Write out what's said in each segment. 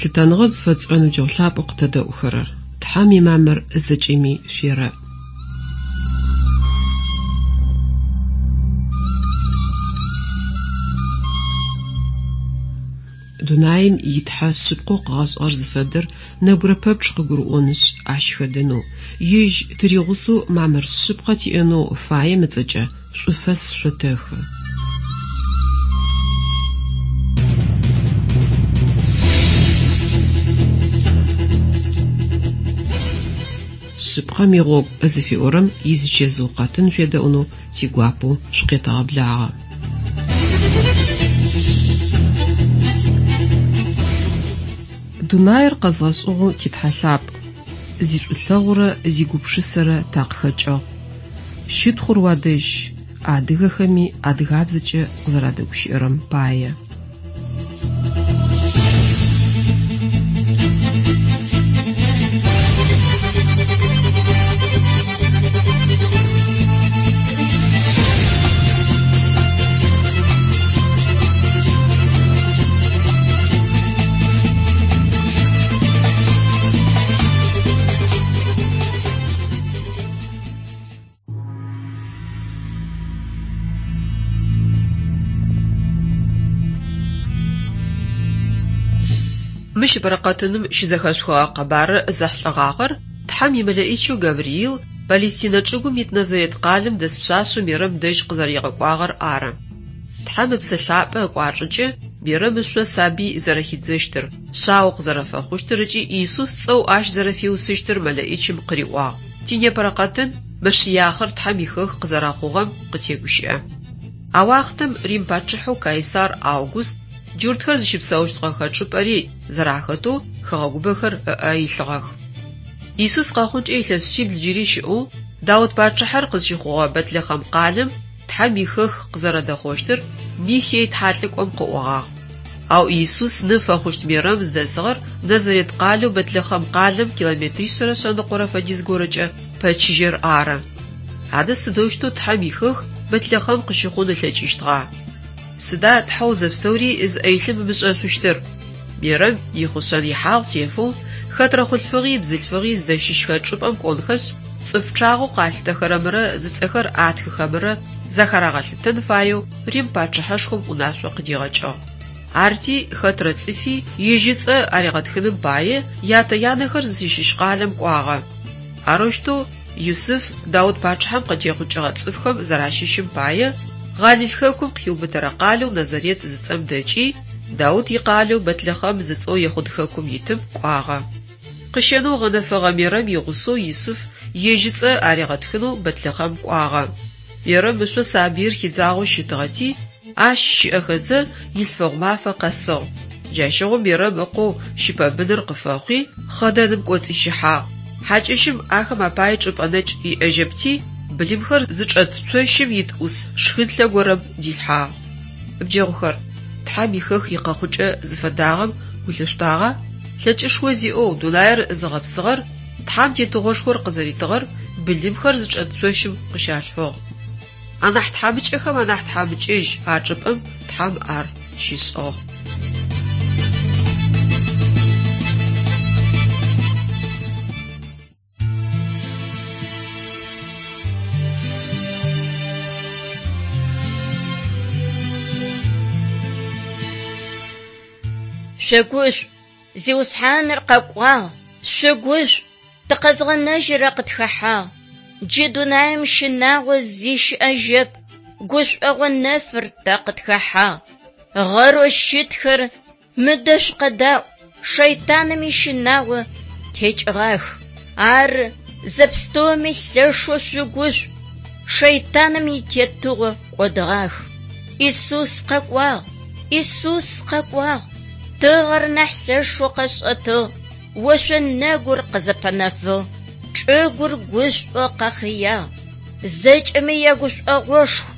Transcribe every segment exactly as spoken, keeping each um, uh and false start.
Лъытэныгъэ зыфэтшӏырэ ныбджэгъу лъапӏэу къытэдэӏухэрэр, Тхьэм имамыр зэкӏэми шъуерэӏ. Дунаим итхьэ шъыпкъэу къыгъэшӏыгъэр зыфэдэр нэбгырэ пэпчъ къыгурыӏонышъ, ащ хэдэнэу, ежь тыригъусэу мамыр шъыпкъэ тиӏэнэу фаем ыцӏэкӏэ шӏуфэс шъотэхы. Шъыпкъэм игъогу зыфиӏорэм изычэзыу къэтын шъуедэӏунэу тигуапэу шъукъетэгъэблагъэ. Дунаир къэзгъэшӏыгъэу титхьэ лъапӏ, зишӏулъэгъурэ зигупшысэрэ такъыхэкӏыгъ. Щытхъур уадэжь, адыгэхэми адыгабзэкӏэ къызэрадэгущыӏэрэм пае. Мыщ бэрэкъэтыным щызэхэшъухыгъэ къэбарыр зэхьылӏэгъагъэр Тхьэм имэлэӏичэу Гавриил Палестинэ чӏыгум ит Назарет къалэм дэс пшъашъэу Мерэм дэжь къызэригъэкӏуагъэр ары. Тхьэм Ыпсэ Лъапӏэ ыкӏуачӏэкӏэ Мерэм ышъо сабый зэрэхидзэщтыр, шъао къызэрэфэхъущтыр ыкӏи Иисус цӏэу ащ зэрэфиусыщтыр мэлэӏичым къыриӏуагъ. Тинепэрэ къэтын Мэшыяхъыр Тхьэм ихэх къызэрэхъугъэм къытегущыӏэ. А уахътэм Рим пачъыхьэу Кайсар Август джуртхэр зыщыпсэущтыгъэхэ чӏыпӏэри зэрахэтэу хэгъэгубэхэр ыӏэ илъыгъэх. Иисус къэхъункӏэ илъэс шъибл джыри щыӏэу Даут пачъыхьэр къызщыхъугъэ Бэтлэхъэм къалэм Тхьэм ихэх къызэрэдэхъощтыр Михей тхьалӏыкӏом къыӏогъагъ. Ау Иисус ны фэхъущт Мерэм зыдэсыгъэр Назарет къалэу Бэтлэхъэм къалэм километришъэрэ шъэныкъорэ фэдиз горэкӏэ пэчыжьэр ары. Адэ сыдэущтэу Тхьэм ихэх Бэтлэхъэм къыщыхъун ылъэкӏыщтыгъа? Сыда Тхьэу зэпстэури зыӏэ илъым ымышӏэшъущтыр? Мерэм ихъушъэн ихьагъу тефэу, хэтрэ хъулъфыгъи бзылъфыгъи зыдэщыщхэ чӏыпӏэм кӏонхэшъ, цӏыф пчъагъэу къалъытэхэрэмрэ зыцӏэхэр атхыхэмрэ захарагъэлъытэн фаеу Рим пачъыхьэшхом унашъо къыдигъэкӏыгъ. Арти хэтрэ цӏыфи ежь ыцӏэ аригъэтхыным пае ятэ-янэхэр зыщыщ къалэм кӏуагъэ. Арэущтэу Юсыф Даут пачъыхьэм къытехъукӏыгъэ цӏыфхэм зэращыщым пае Гъалил хэкум къыхиубытэрэ къалэу Назарет зыцӏэм дэкӏи, Даут икъалэу Бэтлэхъэм зыцӏэу Ехъуд хэкум итым кӏуагъэ. Къыщэнэу гъэнэфэгъэ Мерэм игъусэу Юсыф ежь ыцӏэ аригъэтхынэу Бэтлэхъэм кӏуагъэ. Мерэм ышъо сабыир хидзагъэу щытыгъэти, ащ щыӏэхэзэ илъфэгъу мафэ къэсыгъ. Джащыгъум Мерэм ыкъоу щыпэбыныр къыфэхъуи, хъэдэным кӏоцӏищыхьагъ. Хьакӏэщым ахэм апае чӏыпӏэ нэкӏ иӏэжьэпти, былымхэр зычӏэт цощым ит ӏус шхынлъэ горэм дилъхьагъ. Ныбджэгъухэр, Тхьэм ихэх икъэхъукӏэ зыфэдагъэм гу лъышъутагъа? Лъэкӏышхо зиӏэу дунаир зыгъэпсыгъэр, Тхьэм тетыгъошхор къызэритыгъэр былымхэр зычӏэт цощым къыщалъфыгъ. Анахь тхьамыкӏэхэм анахь тхьамыкӏэжь а чӏыпӏэм Тхьэм ар щишӏыгъ. Шъугушӏу, Зиусхьаныр къэкӏуагъ, шъугушӏу, тыкъэзгъэнэжьырэ къытхэхьагъ. Джы дунаим щынагъо зи щыӏэжьэп, гушӏогъо нэфыр тэ къытхэхьагъ. Гъэрэу щытхэр мыдэ шъукъэдаӏу, шэйтаным ищынагъо текӏыгъах. Ар зэпстэуми лъэшэу шъугушӏу, шэйтаным итетыгъо кӏодыгъах. Иисус къэкӏуагъ, Иисус къэкӏуагъ, тыгъэр нахь лъэшэу къэшӏэтыгъ, ошъо нэгур къызэпэнэфыгъ, чӏыгур гушӏо къэхъыягъ. Зэкӏэми ягушӏогъошху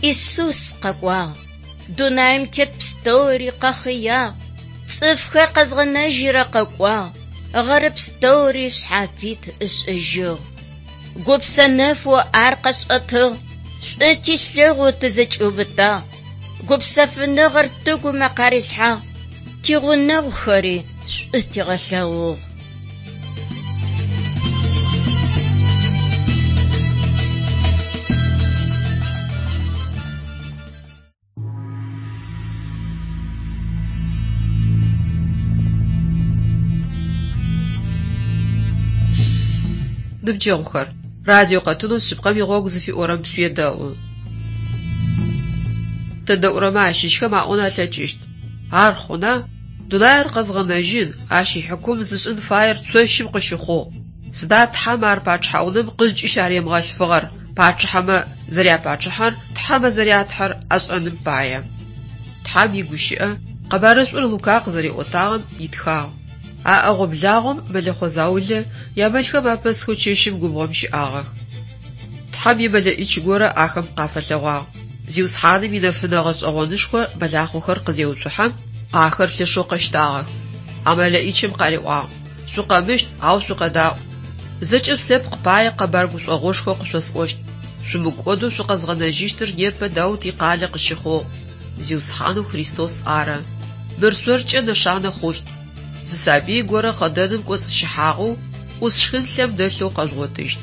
Иисус къэкӏуагъ. Дунаим тет пстэури къэхъыягъ, цӏыфхэр къэзгъэнэжьырэ къэкӏуагъ, гъэры пстэури шъхьафит ышӏыжьыгъ. Гупсэ нэфэу ар къэшӏэтыгъ, шӏу тилъэгъу тызэкӏиубытагъ. Гупсэфыныгъэр тыгумэ къарилъхьагъ, тигъунэгъухэри шӏу тигъэлъэгъугъ. Ныбджэгъухэр, радио къэтынэу «Шъыпкъэм игъогу» зыфиӏорэм шъуедэӏу. Тэдэӏурэмэ ащыщхэм аӏон алъэкӏыщт: «Ар хъуна? Дунаир къэзгъэнэжьын, ащ ихьыкум зышӏын фаер цощым къыщыхъугъ. Сыда Тхьэм ар пачъыхьэ унэм къызкӏыщаримыгъэлъфыгъэр, пачъыхьэмэ зэряпачъыхьэр, тхьэмэ зэрятхьэр ашӏэным пае?» Тхьэм игущыӏэ Къэбарышӏур Лука къызэриӏотагъэм итхагъ: А ӏэгъо-благъом мэлэхъо заулэ ямэлхэм апэсхэу чэщым губгъом щыӏагъэх. Тхьэм имэлэӏич горэ ахэм къафэлъэгъуагъ. Зиусхьаным инэфынэ гъэшӏэгъонышхо мэлахъохэр къызеуцухьэм, ахэр лъэшэу къэщтагъэх. А мэлэӏичым къариӏуагъ: «Шъукъэмыщт, ау шъукъэдаӏу! Зэкӏэ шъулъэпкъ пае къэбар гушӏогъошхо къышъосӏощт. Шъумыкӏодэу шъукъэзгъэнэжьыщтыр непэ Даут икъалэ къыщыхъугъ: Зиусхьанэу Христос ары. Мыр шъоркӏэ нэшанэ хъущт: зы сабый горэ хъэдэным кӏоцӏыщыхьагъэу, ӏус шхынлъэм дэлъэу къэжъугъотыщт».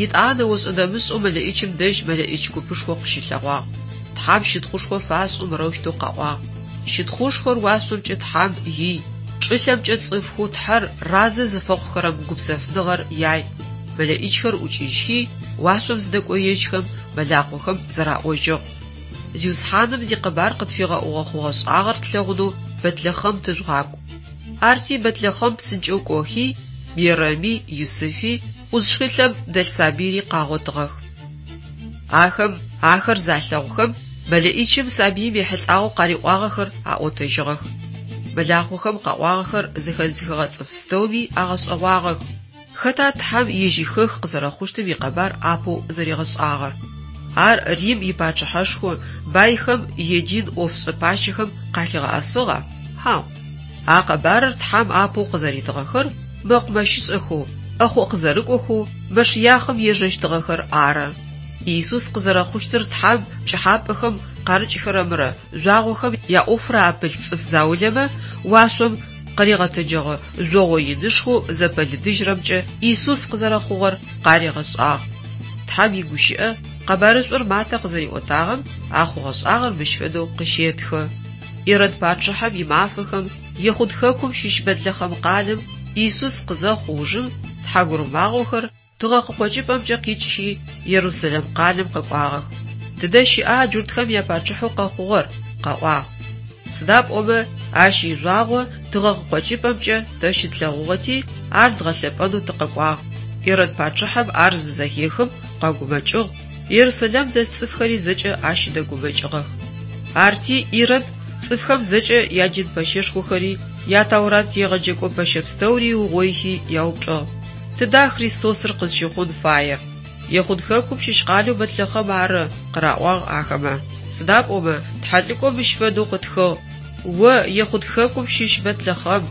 Етӏанэ ошӏэ-дэмышӏэу мэлэӏичым дэжь мэлэӏич купышхо къыщылъэгъуагъ. Тхьэм щытхъушхо фашӏэу мырэущтэу къаӏуагъ: «Щытхъушхор уашъомкӏэ Тхьэм ий, чӏылъэмкӏэ цӏыфхэу Тхьэр разэ зыфэхъухэрэм гупсэфыныгъэр яй». Мэлэӏичхэр ӏукӏыжьхи, уашъом зыдэкӏоежьхэм, мэлахъохэм зэраӏожьыгъ: «Зиусхьаным зикъэбар къытфигъэӏугъэ хъугъэ-шӏагъэр тлъэгъунэу Бэтлэхъэм тыжъугъакӏу». Арти Бэтлэхъэм псынкӏэу кӏохи, Мерэми, Юсыфи, ӏус шхынлъэм дэлъ сабыйри къагъотыгъэх. Ахэм ахэр залъэгъухэм, мэлэӏичым сабыим ехьылӏагъэу къариӏуагъэхэр аӏотэжьыгъэх. Мэлахъохэм къаӏуагъэхэр зэхэзыхыгъэ цӏыф пстэуми агъэшӏэгъуагъэх: хэта Тхьэм ежь ихэх къызэрэхъущтым икъэбар апэу зэригъэшӏагъэр? Ар Рим ипачъыхьэшхо байхэм е дин ӏофшӏэ пащэхэм къалъигъэӏэсыгъа? Хьау. А къэбарыр Тхьэм апэу къызэритыгъэхэр мэкъумэщышӏэхэу, ӏэхъо къызэрыкӏохэу Мэшыяхъым ежэщтыгъэхэр ары. Иисус къызэрэхъущтыр Тхьэм пкӏыхьапӏэхэм къарыкӏхэрэмрэ жъуагъохэм яӏофрэ апылъ цӏыф заулэмэ уашъом къыригъэтэджэгъэ жъогъо инышхоу зэпэлыдыжьрэмкӏэ Иисус къызэрэхъугъэр къаригъэшӏагъ. Тхьэм игущыӏэ Къэбарышӏур Матэ къызэриӏотагъэм а хъугъэ-шӏагъэр мыщ фэдэу къыщетхы: Ирод пачъыхьэм имафэхэм Ехъуд хэкум щыщ Бэтлэхъэм къалэм Иисус къызэхъу ужым тхьагурымагъохэр тыгъэ къыкъокӏыпӏэмкӏэ къикӏхи Ерусэлэм къалэм къэкӏуагъэх. «Тыдэ щыӏа джуртхэм япачъыхьэу къэхъугъэр?» къаӏуагъ. Сыда пӏомэ ащ ижъуагъо тыгъэ къыкъокӏыпӏэмкӏэ тэ щытлъэгъугъэти, ар дгъэлъэпӏэнэу тыкъэкӏуагъ. Ирод пачъыхьэм ар зызэхехым къэгумэкӏыгъ, Ерусэлэм дэс цӏыфхэри зэкӏэ ащ дэгумэкӏыгъэх. Арти Ирод цӏыфхэм зэкӏэ ядин пэщэшхохэри, я Таурат егъэджэкӏо пэщэ пстэури ыугъоихи яупчӏыгъ: «Тыда Христосыр къызщыхъун фаер?» «Ехъуд хэкум щыщ къалэу Бэтлэхъэм ары», къыраӏуагъ ахэмэ. Сыда пӏомэ тхьэлӏыкӏом мыщ фэдэу къытхыгъ: «О, Ехъуд хэкум щыщ Бэтлэхъэм,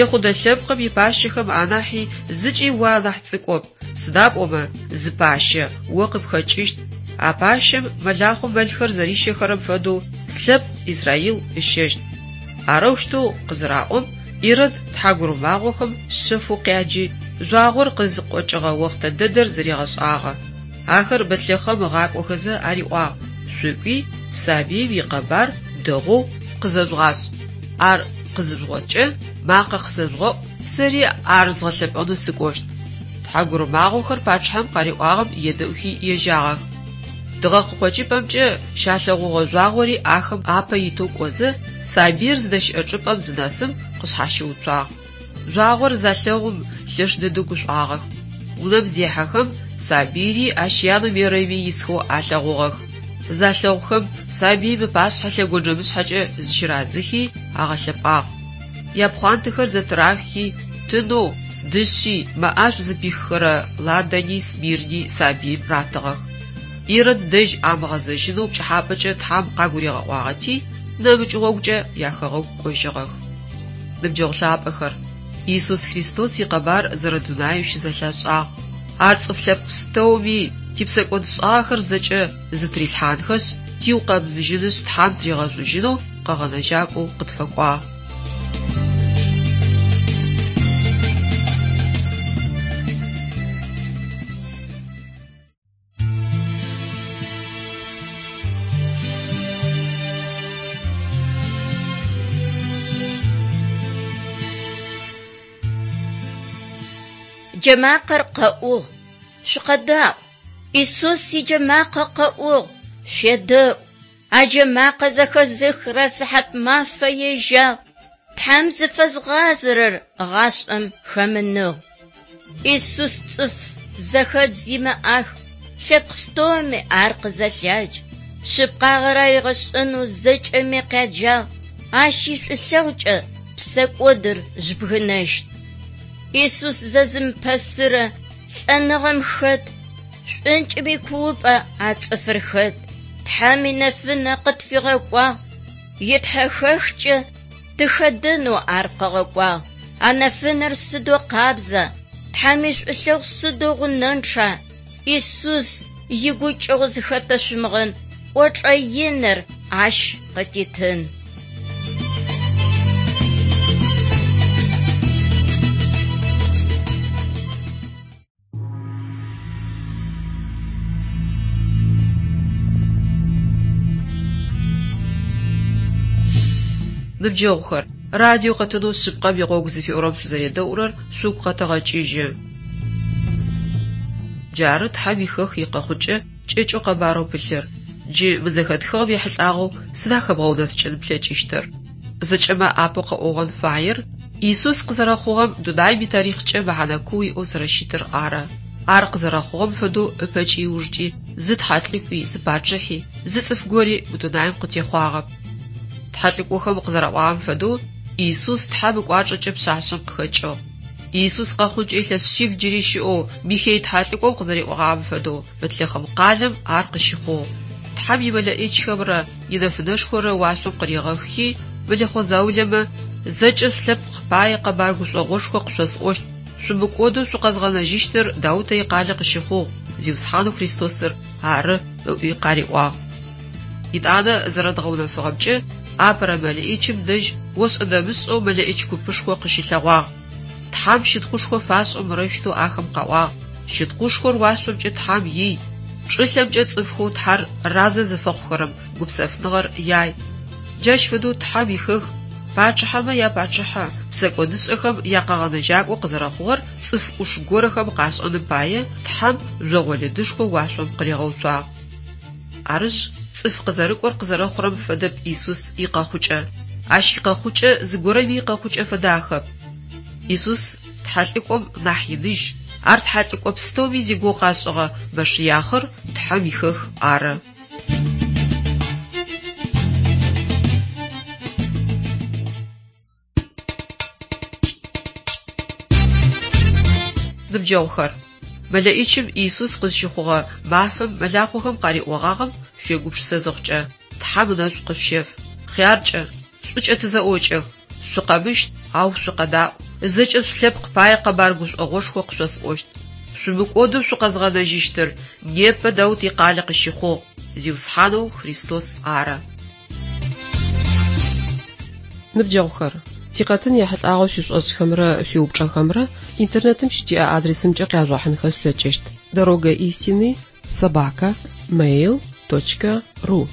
Ехъудэ лъэпкъым ипащэхэм анахьи зыкӏи о анахь цӏыкӏоп, сыда пӏомэ зы пащэ о къыпхэкӏыщт. А пащэм мэлахъом мэлхэр зэрищэхэрэм фэдэу слъэпкъ Израил ыщэщт». Арэущтэу къызыраӏом, Ирод тхьагурымагъохэм шъэфэу къяджи, жъуагъор къызыкъокӏыгъэ охътэ дэдэр зэригъэшӏагъэ. Ахэр Бэтлэхъэм ыгъакӏохэзэ ариӏуагъ: «Шъукӏуи, сабыим икъэбар дэгъоу къызэжъугъашӏ. Ар къызыжъугъоткӏэ, макъэ къысэжъугъэӏу, сэри ар згъэлъэпӏэнэу сыкӏощт». Тхьагурымагъохэр пачъыхьэм къариӏуагъэм едэӏухи ежьагъэх. Тыгъэ къыкъокӏыпӏэмкӏэ щалъэгъугъэ жъуагъори ахэм апэ итэу кӏозэ, сабыир зыдэщыӏэ чӏыпӏэм зынэсым къышъхьащыуцуагъ. Жъуагъор залъэгъум лъэш дэдэу гушӏуагъэх. Унэм зехьэхэм, сабыйри ащ янэу Мерэми исхэу алъэгъугъэх. Залъэгъухэм, сабыим ыпашъхьэ лъэгонджэмышъхьэкӏэ зыщырадзыхи агъэлъэпӏагъ. Япхъуантэхэр зэтырахи, тынэу, дышъи, мэӏашӏу зыпиххэрэ ладани смирни сабыим ратыгъэх. Ирод дэжь амыгъэзэжьынэу пкӏыхьапӏэкӏэ Тхьэм къагуригъэӏуагъэти, нэмыкӏ гъогукӏэ яхэгъэгу кӏожьыгъэх. Ныбджэгъу лъапӏэхэр, Иисус Христос икъэбар зэрэдунаеу щызэлъашӏагъ. Ар цӏыф лъэпкъ пстэуми типсэкӏодшӏагъэхэр зэкӏэ зытырилъхьанхэшъ, Джэмакъэр къэӏугъ, шъукъэдаӏу. Исус иджэмакъэ къэӏугъ, шъуедэӏу. А джэмакъэ зэхэзыхырэ сыхьат мафэ ежьагъ. Тхьэм зыфэзгъазэрэр гъашӏэм хэмыныгъ. Исус цӏыф зэхэдз имыӏах, лъэпкъ пстэуми ар къызэлъядж. Шъыпкъагъэр аригъэшӏэнэу зэкӏэми къяджагъ. Ащ ишӏулъэгъукӏэ псэкӏодыр жъубгынэщт. Исус зэзымыпэсырэ лӏэныгъэм хэт, шӏункӏым икуупӏэ а цӏыфыр хэт. Тхьэм инэфынэ къытфигъэкӏуагъ, итхьэхэхкӏэ тыхэдэнэу ар къыгъэкӏуагъ. А нэфынэр сыдэу къабза, Тхьэм ишӏулъэгъу сыдэу гъунэнчъа. Исус игукӏэгъу зыхэтэшъумыгъэн кӏочӏэ иныр ащ къытитын. Ныбджэгъухэр, радио къэтынэу шъыпкъэм игъогу зыфиӏорэм шъузэредэӏурэр шъугу къэтэгъэкӏыжьы. Джары Тхьэм ихэх икъэхъукӏэ кӏэкӏэу къэбарэу пылъыр. Джы мы зэхэтхыгъэм ехьылӏагъэу сыда хэбгъэунэфыкӏын плъэкӏыщтыр? Зэкӏэмэ апэу къэӏогъэн фаер Иисус къызэрэхъугъэм дунаим итарихъкӏэ мэхьэнэ куу иӏэу зэрэщытыр ары. Ар къызэрэхъугъэм фэдэу ыпэкӏи ыужкӏи зы тхьэлӏыкӏуи, зы пачъыхьи, зы цӏыф гори мы дунаим къытехъуагъэп. Тхьэлӏыкӏохэм къызэраӏуагъэм фэдэу Иисус Тхьэм ыкӏуачӏэкӏэ пшъашъэм къыхэкӏыгъ. Иисус къэхъункӏэ илъэс шъибл джыри щыӏэу Михей тхьэлӏыкӏом къызэриӏогъагъэм фэдэу Бэтлъэхъем къалэм ар къыщыхъугъ. Тхьэм имэлэӏичхэмрэ инэфынэшхорэ уашъом къыригъэхи, мэлэхъо заулэмэ зэкӏэ шъулъэпкъ пае къэбар гушӏогъошхо къышъосӏощт, шъумыкӏодэу шъукъэзгъэнэжьыщтыр Даутэ икъалэ къыщыхъугъ, Зиусхьанэу Христосыр ары ыӏуи къариӏуагъ. Итӏанэ зэрэдгъэунэфыгъэмкӏэ, апэрэ мэлэӏичым дэжь ошӏэ-дэмышӏэу мэлэӏич купышхо къыщылъэгъуагъ. Тхьэм щытхъушхо фашӏэу мырэущтэу ахэм къаӏуагъ: «Щытхъушхор уашъомкӏэ Тхьэм ий, чӏылъэмкӏэ цӏыфхэу Тхьэр разэ зыфэхъухэрэм гупсэфыныгъэр яй». Джащ фэдэу Тхьэм ихэх пачъыхьэмэ япачъыхьэ, псэкӏодышӏэхэм якъэгъэнэжьакӏо къызэрэхъугъэр цӏыф ӏуш горэхэм къашӏэным пае Тхьэм жъогъо лыдышхо уашъом къыригъэуцуагъ. Арышъ, цӏыф къызэрыкӏор къызэрэхъурэм фэдэп Иисус икъэхъукӏэ. Ащ икъэхъукӏэ зыгорэми икъэхъукӏэ фэдахэп. Иисус тхьэлӏыкӏом нахь иныжь, ар тхьэлӏыкӏо пстэуми зигугъу къашӏыгъэ Мэшыяхъыр Тхьэм ихэх ары. Ныбджэгъухэр, мэлэӏичым Иисус къызщыхъугъэ мафэм мэлахъохэм къариӏогъагъэм шъуегупшысэ зыхъукӏэ, Тхьэм ынэшӏу къышъущеф. Хъяркӏэ, шӏукӏэ тызэӏокӏэх, шъукъэмыщт, ау шъукъэдаӏу. Зэкӏэ шъулъэпкъ пае къэбар гушӏогъошхо къышъосӏощт. Шъумыкӏодэу шъукъэзгъэнэжьыщтыр непэ Даут икъалэ къыщыхъугъ, Зиусхьанэу Христос ары. Ныбджэгъухэр, тикъэтын ехьылӏагъэу шъуишӏошӏхэмрэ шъуиупчӏэхэмрэ интернетым щытиӏэ адресымкӏэ къяжъугъэхьынхэ шъулъэкӏыщт: дорога истины собака mail точка ру.